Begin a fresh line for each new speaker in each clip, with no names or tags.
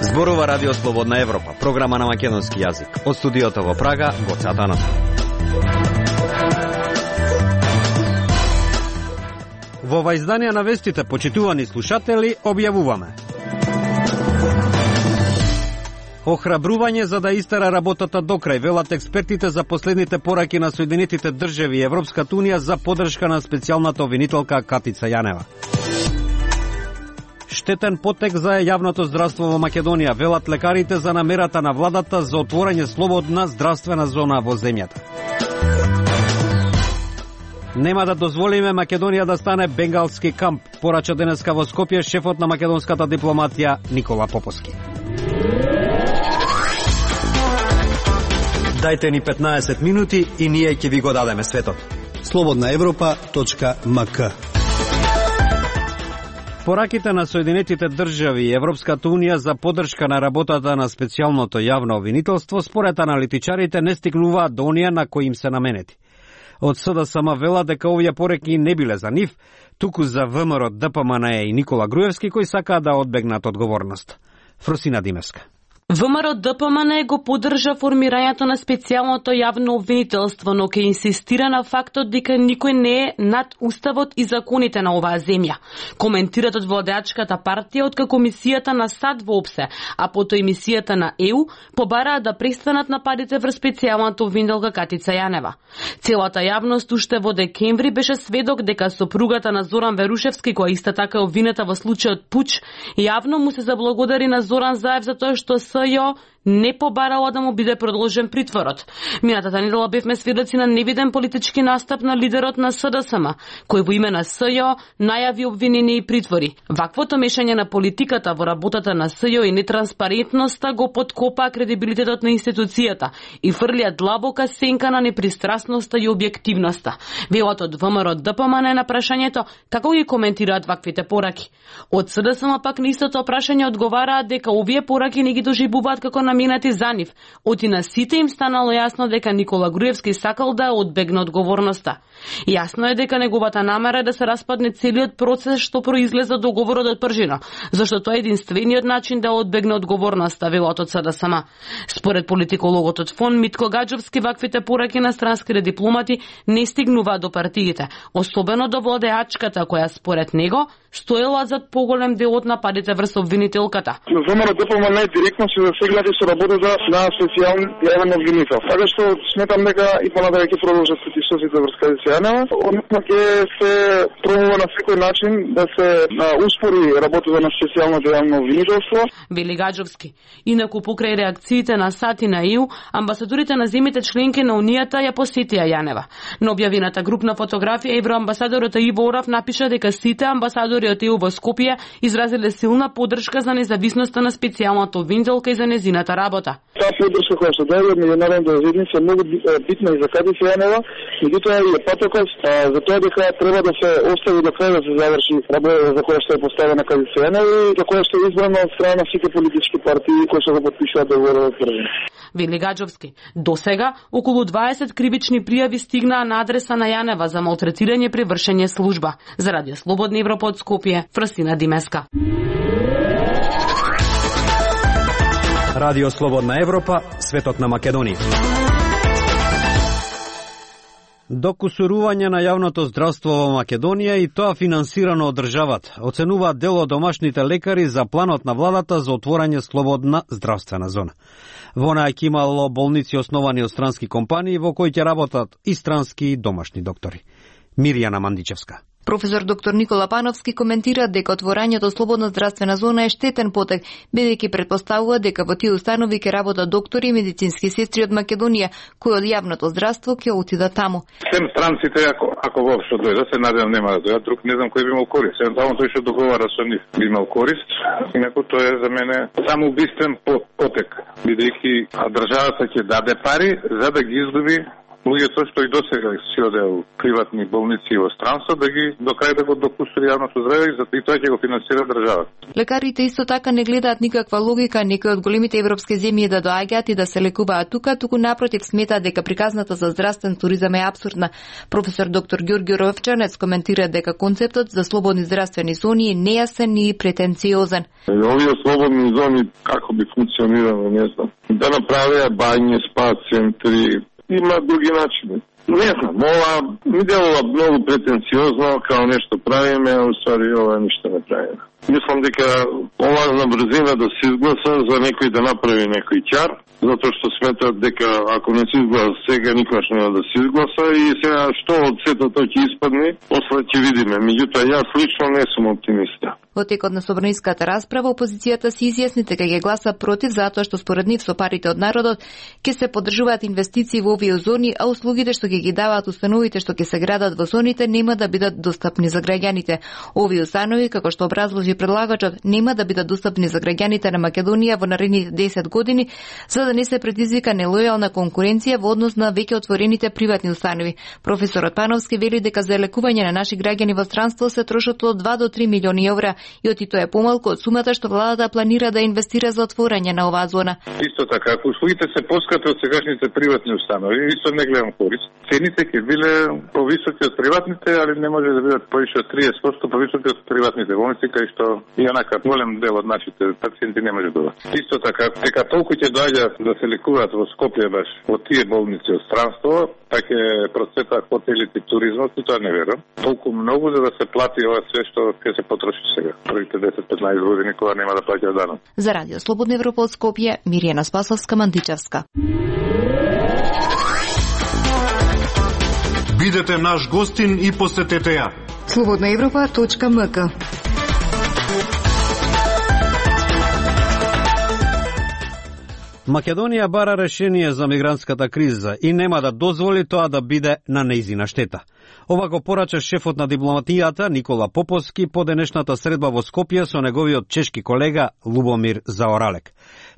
Зборува Радио Слободна Европа, програма на македонски јазик. Од студиото во Прага, Гоце Атанасов. Во ова издание на вестите, почитувани слушатели, објавуваме: охрабрување за да истера работата до крај, велат експертите за последните пораки на Соединетите држави и Европската унија за поддршка на специјалната обвинителка Катица Јанева. Штетен потек за јавното здравство во Македонија, велат лекарите за намерата на владата за отворање слободна здравствена зона во земјата. Нема да дозволиме Македонија да стане бенгалски камп, порача денеска во Скопје шефот на македонската дипломатија Никола Поповски. Дајте ни 15 минути и ние ќе ви го дадеме светот.
slobodnaevropa.mk.
Пораките на Соединетите држави и Европската унија за поддршка на работата на специјалното јавно обвинителство според аналитичарите не стигнуваат до оние на кои им се наменети. Од СДСМ вела дека овие пореки не биле за нив, туку за ВМРО, ДПМН и Никола Груевски кои сакаат да одбегнат одговорност. Фросина Димевска.
ВМРО ДПМН го поддржа формирањето на специјалното јавно обвинителство, но ќе инсистира на фактот дека никој не е над уставот и законите на оваа земја. Коментират од владеачката партија откако мисијата на САД воопсе, а потоа и мисијата на ЕУ побараат да престанат нападите врз специјалната обвинителка Катица Јанева. Целата јавност уште во декември беше сведок дека сопругата на Зоран Верушевски, која иста така е обвинета во случајот пуч, јавно му се заблагодари на Зоран Заев за тоа што СЈО не побарала да му биде продолжен притворот. Минатата недела бевме сведоци на невиден политички настап на лидерот на СДСМ, кој во име на СЈО најави обвинение и притвори. Ваквото мешање на политиката во работата на СЈО и нетранспарентноста го подкопаа кредибилитетот на институцијата и фрлија длабока сенка на непристрасноста и објективноста. Велат од ВМРО ДПМН на прашањето како ги коментираат ваквите пораки. Од СДСМ пак на истото прашање одговараат дека овие пораки не ги доживуваат како наменати за нив. Оти на сите им станало јасно дека Никола Груевски сакал да одбегне одговорноста. Јасно е дека неговата намера е да се распадне целиот процес што произлезе од договорот од пржина, зашто тоа е единствениот начин да одбегне одговорноста, велат од СДСМ. Според политикологот од ФОН Митко Гаджовски, ваквите пораки на странските дипломати не стигнуваат до партиите, особено до владеачката која според него стоела зад поголем дел од нападите врз обвинителката.
ВМРО ДПМН директно се засегнати со работата на специјален јавен обвинител. Така што сметам дека и понатаму ќе продолжат претисоците врз Катица Јанева, односно ќе се пробува на секој начин да се успори работата на специјалното јавно обвинителство.
Вели Гаджовски. Инаку покрај реакциите на САД и на ЕУ, амбасадорите на земјите членки на Унијата ја посетија Јанева. На објавената групна фотографија евроамбасадорот Иво Орав напиша дека сите амбасадори од ЕУ во Скопје изразиле силна поддршка за независноста на специјалната обвинителка и за незината работа.
Таа поддршка која се даде од меѓународните заедници е многу битна и за Катица Јанева, меѓутоа и е патокос за тоа дека треба да се остави до крај да се заврши работата за која што е поставена Катица Јанева и за која што е избрана од страна на сите политички партии кои што го потпишуваат договорот од пржина.
Вели Гаджовски. До сега околу 20 кривични пријави стигнаа на адреса на Јанева за малтретирање при вршење служба. За Радио Слободна Европа од Скопје, Фросина Димеска.
Радио Слободна Европа, светот на Македонија. Докусурување на јавното здравство во Македонија и тоа финансирано од државата, оценуваат дел од домашните лекари за планот на владата за отворање слободна здравствена зона. Во неа ќе имало болници основани од странски компании во кои ќе работат и странски и домашни доктори. Мирјана Мандичевска.
Професор доктор Никола Пановски коментира дека отворањето слободна здравствена зона е штетен потек, бидејќи претпоставува дека во тие установи ќе работат доктори и медицински сестри од Македонија, кои од јавното здравство ќе отидат таму.
Сем странците, ако воопшто дојдат, се надевам нема да дојдат, друг не знам кој би имал корист. Само тој што договара со нив би имал корист, инаку тоа е за мене само убиствен потек, бидејќи државата ќе даде пари за да ги издоби луѓето што и досега си одеа у приватни болници во странство да ги докај да го допустат јавното здравје и тоа ќе го финансира државата.
Лекарите исто така не гледаат никаква логика некои од големите европски земји да доаѓаат и да се лекуваат тука, туку напротив сметаат дека приказната за здравствен туризам е апсурдна. Професор доктор Ѓорѓи Ровчанец коментира дека концептот за слободни здравствени зони е нејасен и претенциозен.
Овие слободни зони како би функционирало, не знам. Да направеа бањи, спа центри, има други начини. Не знам, ова ми делува многу претенциозно, као нешто правиме, а уствари ова ништо не правиме. Мислам дека ова на брзина да се изгласа за некој да направи некој ќар, затоа што сметат дека ако не се изгласа сега, никогаш нема да се изгласа и сега што од сето тоа ќе испадне, после ќе видиме. Меѓутоа, јас лично не сум оптимиста.
Во текот на собраниската расправа, опозицијата се изјасни дека ќе гласа против затоа што според нив со парите од народот ќе се поддржуваат инвестиции во овие зони, а услугите што ќе ги даваат установите што ќе се градат во зоните нема да бидат достапни за граѓаните. Овие установи, како што образложи предлагачот, нема да бидат достапни за граѓаните на Македонија во наредните 10 години, за да не се предизвика нелојална конкуренција во однос на веќе отворените приватни установи. Професорот Пановски вели дека за лекување на наши граѓани во странство се трошат од 2 до 3 милиони евра, и оти тоа е помалку од сумата што владата планира да инвестира за отворање на оваа зона.
Исто така, ако услугите се поскапи од сегашните приватни установи, исто не гледам корист. Цените ќе биле повисоки од приватните, али не може да бидат повише од 30% повисоки од приватните болници, кај што и онака голем дел од нашите пациенти не може да бидат. Исто така, дека толку ќе доаѓаат да се лекуваат во Скопје баш во тие болници од странство, па ќе процветаат хотелите и туризмот, и тоа не верам. Толку многу за да се плати ова све што ќе се потроши сега. Првите 10-15 години кога нема да плаќаат данок.
За Радио Слободна Европа од Скопје, Миријана Спасовска-Мантичевска.
Бидете наш гостин и посетете ја.
slobodnaevropa.mk.
Македонија бара решение за мигрантската криза и нема да дозволи тоа да биде на нејзина штета. Ова го порача шефот на дипломатијата Никола Поповски по денешната средба во Скопје со неговиот чешки колега Лубомир Заоралек.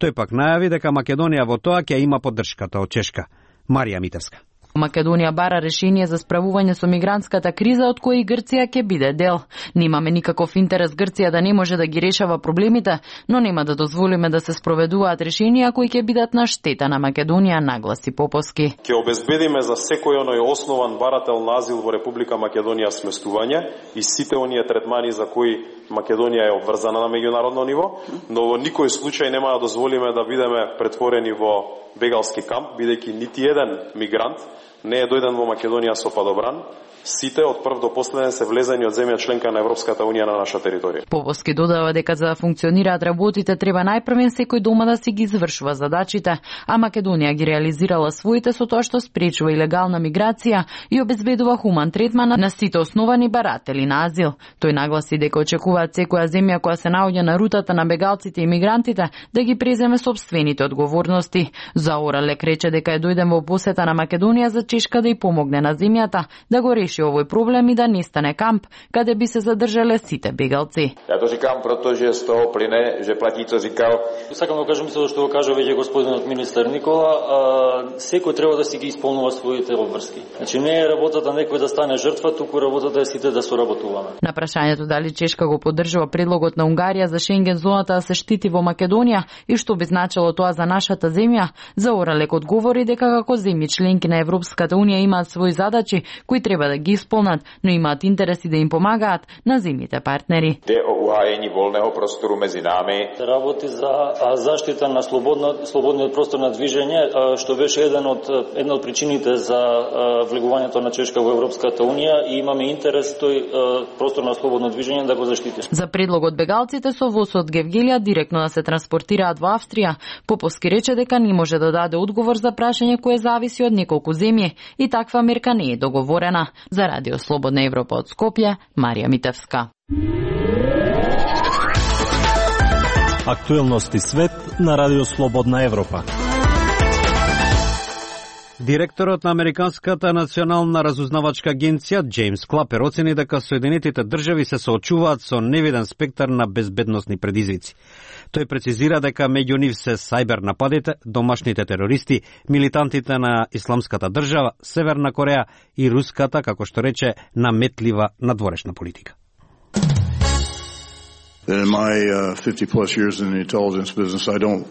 Тој пак најави дека Македонија во тоа ќе има поддршката од Чешка. Марија Митевска.
Македонија бара решение за справување со мигрантската криза од која и Грција ќе биде дел. Немаме никаков интерес Грција да не може да ги решава проблемите, но нема да дозволиме да се спроведуваат решенија кои ќе бидат на штета на Македонија, нагласи Поповски.
Ќе обезбедиме за секој оној основан барател на азил во Република Македонија сместување и сите оние третмани за кои Македонија е обврзана на меѓународно ниво, но во никој случај нема да дозволиме да бидеме претворени во бегалски камп, бидејќи нити еден мигрант не е дојден во Македонија со падобран. Сите од прв до последен се влезени од земја членка на Европската унија на наша територија.
Поповски додава дека за да функционираат работите треба најпрвен секој дома да си ги извршува задачите, а Македонија ги реализирала своите со тоа што спречува илегална миграција и обезбедува хуман третман на сите основани баратели на азил. Тој нагласи дека очекуваат секоја земја која се наоѓа на рутата на бегалците и мигрантите да ги преземе сопствените одговорности. Заоралек рече дека е дојден во посета на Македонија за Чешка да ја помогне на земјата да го реши овој проблем и да не стане камп каде би се задржале сите бегалци.
Ја то říkám, protože z toho plyne, že platí, co říkal.
Сакам да кажам мислам што го кажа веќе господинот министер Никола, секој треба да си ги исполнува своите обврски. Значи не е работата некој да стане жртва, туку работата е сите да соработуваме.
На прашањето дали Чешка го поддржува предлогот на Унгарија за Шенген зоната да се штити во Македонија и што би значило тоа за нашата земја, Заоралек одговори дека како земји членки на Европската унија имаат своји задачи кои треба да ги исполнат, но имаат интереси да им помагаат на земјите партнери.
Де о угајање волнеho prostoru мези нами.
Работи за заштита на слободниот простор на движење, што беше една од причините за влегувањето на Чешка во Европската унија и имаме интерес тој простор на слободно движење да го заштити.
За предлогот бегалците со воз од Гевгелија директно да се транспортираат во Австрија, Поповски рече дека не може да даде одговор за прашање кое зависи од неколку земји и таква мерка не е договорена. За Радио Слободна Европа од Скопје, Марија Митевска.
Актуелности свет на Радио Слободна Европа.
Директорот на Американската национална разузнавачка агенција Джеймс Клапер оцени дека Соединетите држави се соочуваат со невиден спектар на безбедносни предизвици. Тој прецизира дека меѓу нив се сајбер нападите, домашните терористи, милитантите на Исламската држава, Северна Кореја и руската, како што рече, наметлива надворешна политика.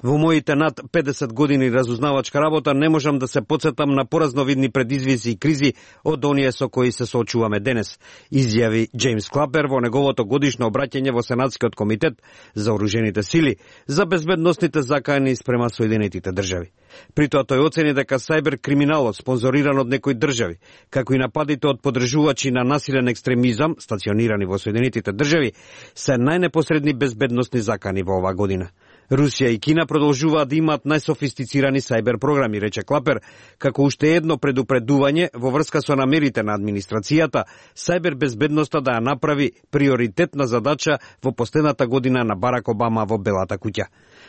Во моите над 50 години разузнавачка работа не можам да се потсетам на поразновидни предизвици и кризи од оние со кои се соочуваме денес, изјави Джеймс Клапер во неговото годишно обраќање во Сенатскиот комитет за оружените сили за безбедносните закани спрема Соединетите држави. При тоа тој оцени дека сајбер криминалот спонзориран од некои држави, како и нападите од поддржувачи на насилен екстремизам стационирани во Соединетите држави, се најнепосредни безбедносни закани во оваа година. Русија и Кина продолжуваат да имаат најсофистицирани сајбер програми, рече Клапер, како уште едно предупредување во врска со намерите на администрацијата сајбер безбедноста да ја направи приоритетна задача во последната година на Барак Обама во Белата куќа.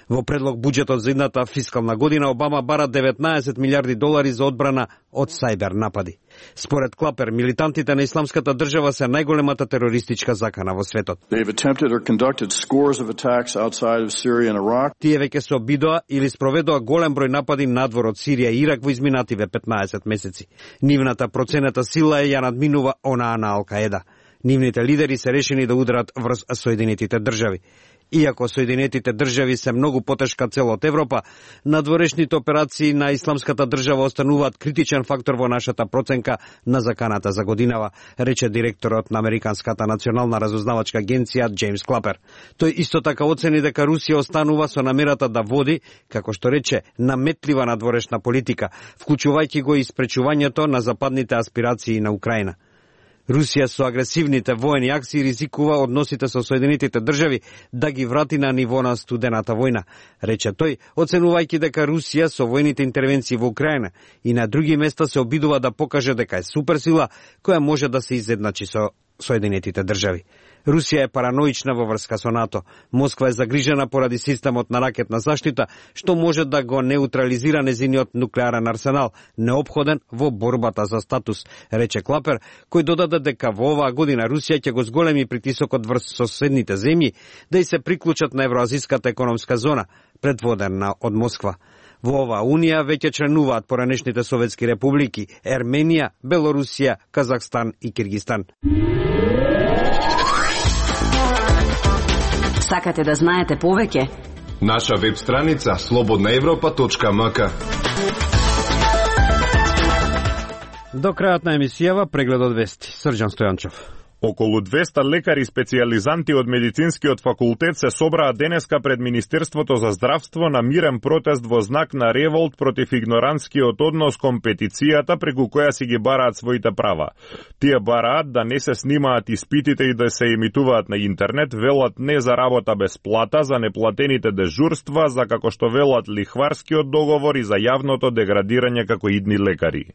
Во предлог буџетот за идната фискална година Обама бара 19 милиарди долари за одбрана од сајбер напади. Според Клапер, милитантите на Исламската држава се најголемата терористичка закана во светот. Тие веќе се обидоа или спроведоа голем број напади надвор од Сирија и Ирак во изминативе 15 месеци. Нивната процената сила ја надминува онаа на Ал-Каеда. Нивните лидери се решени да ударат врз Соединетите држави. Иако Соединетите држави се многу потешка цел од Европа, надворешните операции на Исламската држава остануваат критичен фактор во нашата проценка на заканата за годинава, рече директорот на Американската национална разузнавачка агенција Джеймс Клапер. Тој исто така оцени дека Русија останува со намерата да води, како што рече, наметлива надворешна политика, вклучувајќи го и спречувањето на западните аспирации на Украина. Русија со агресивните воени акции ризикува односите со Соединетите држави да ги врати на ниво на студената војна, рече тој, оценувајќи дека Русија со војните интервенции во Украина и на други места се обидува да покаже дека е суперсила која може да се изедначи со Соединетите држави. Русија е параноична во врска со НАТО. Москва е загрижена поради системот на ракетна заштита, што може да го неутрализира незиниот нуклеарен арсенал, неопходен во борбата за статус, рече Клапер, кој додаде дека во оваа година Русија ќе го зголеми притисокот врз соседните земји да и се приклучат на Евроазиската економска зона, предводена од Москва. Во оваа унија веќе членуваат поранешните советски републики Ерменија, Белорусија, Казахстан и Киргистан.
Сакате да знаете повеќе?
Наша веб страница slobodnaevropa.mk.
До крајот на емисијава преглед од вести. Срđan Стојанчов.
Околу 200 лекари специјализанти од медицинскиот факултет се собраа денеска пред Министерството за здравство на мирен протест во знак на револт против игнорантскиот однос кон петицијата преку која си ги бараат своите права. Тие бараат да не се снимаат испитите и да се емитуваат на интернет, велат не за работа без плата, за неплатените дежурства, за како што велат лихварскиот договор и за јавното деградирање како идни лекари.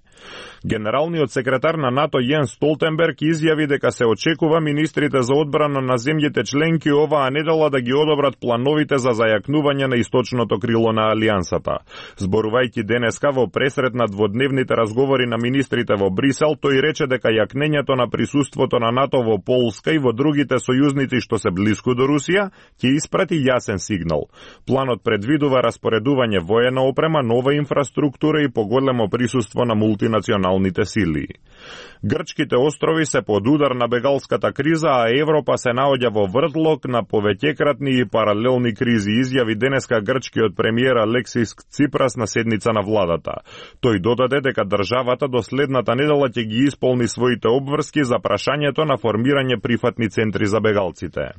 Генералниот секретар на НАТО Јенс Столтенберг изјави дека се очекува министрите за одбрана на земјите членки оваа недела да ги одобрат плановите за зајакнување на источното крило на Алијансата. Зборувајќи денеска во пресрет на дводневните разговори на министрите во Брисел, тој рече дека јакнењето на присуството на НАТО во Полска и во другите сојузници што се блиску до Русија ќе испрати јасен сигнал. Планот предвидува распоредување воена опрема, нова инфраструктура и поголемо присуство на мултинационалните сили. Грчките острови се под удар на бегалската криза, а Европа се наоѓа во вртлок на повеќекратни и паралелни кризи, изјави денеска грчкиот премиер Алексис Ципрас на седница на владата. Тој додаде дека државата до следната недела ќе ги исполни своите обврски за прашањето на формирање прифатни центри за бегалците.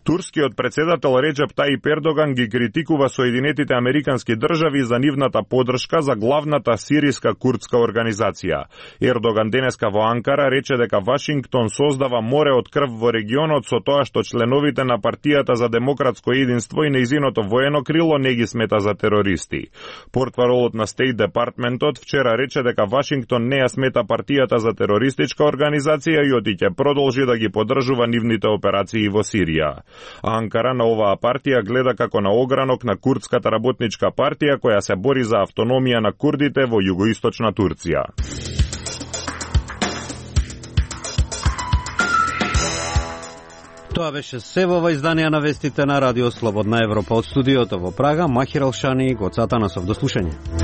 Турскиот председател Реджеп Таип Ердоган ги критикува Соединетите Американски држави за нивната поддршка за главната сириска курдска организација. Ердоган денеска во Анкара рече дека Вашингтон создава море од крв во регионот со тоа што членовите на партијата за демократско единство и нејзиното воено крило не ги смета за терористи. Портпаролот на Стейт Департментот вчера рече дека Вашингтон не ја смета партијата за терористичка организација и оти ќе продолжи да ги поддржува нивните операции во Сирија. А Анкара на оваа партија гледа како на огранок на курдската работничка партија која се бори за автономија на курдите во југоисточна Турција.
Тоа беше се во ова издание на вестите на Радио Слободна Европа. Од студиото во Прага, Махир Алшани, Гоцата Насов. До слушање.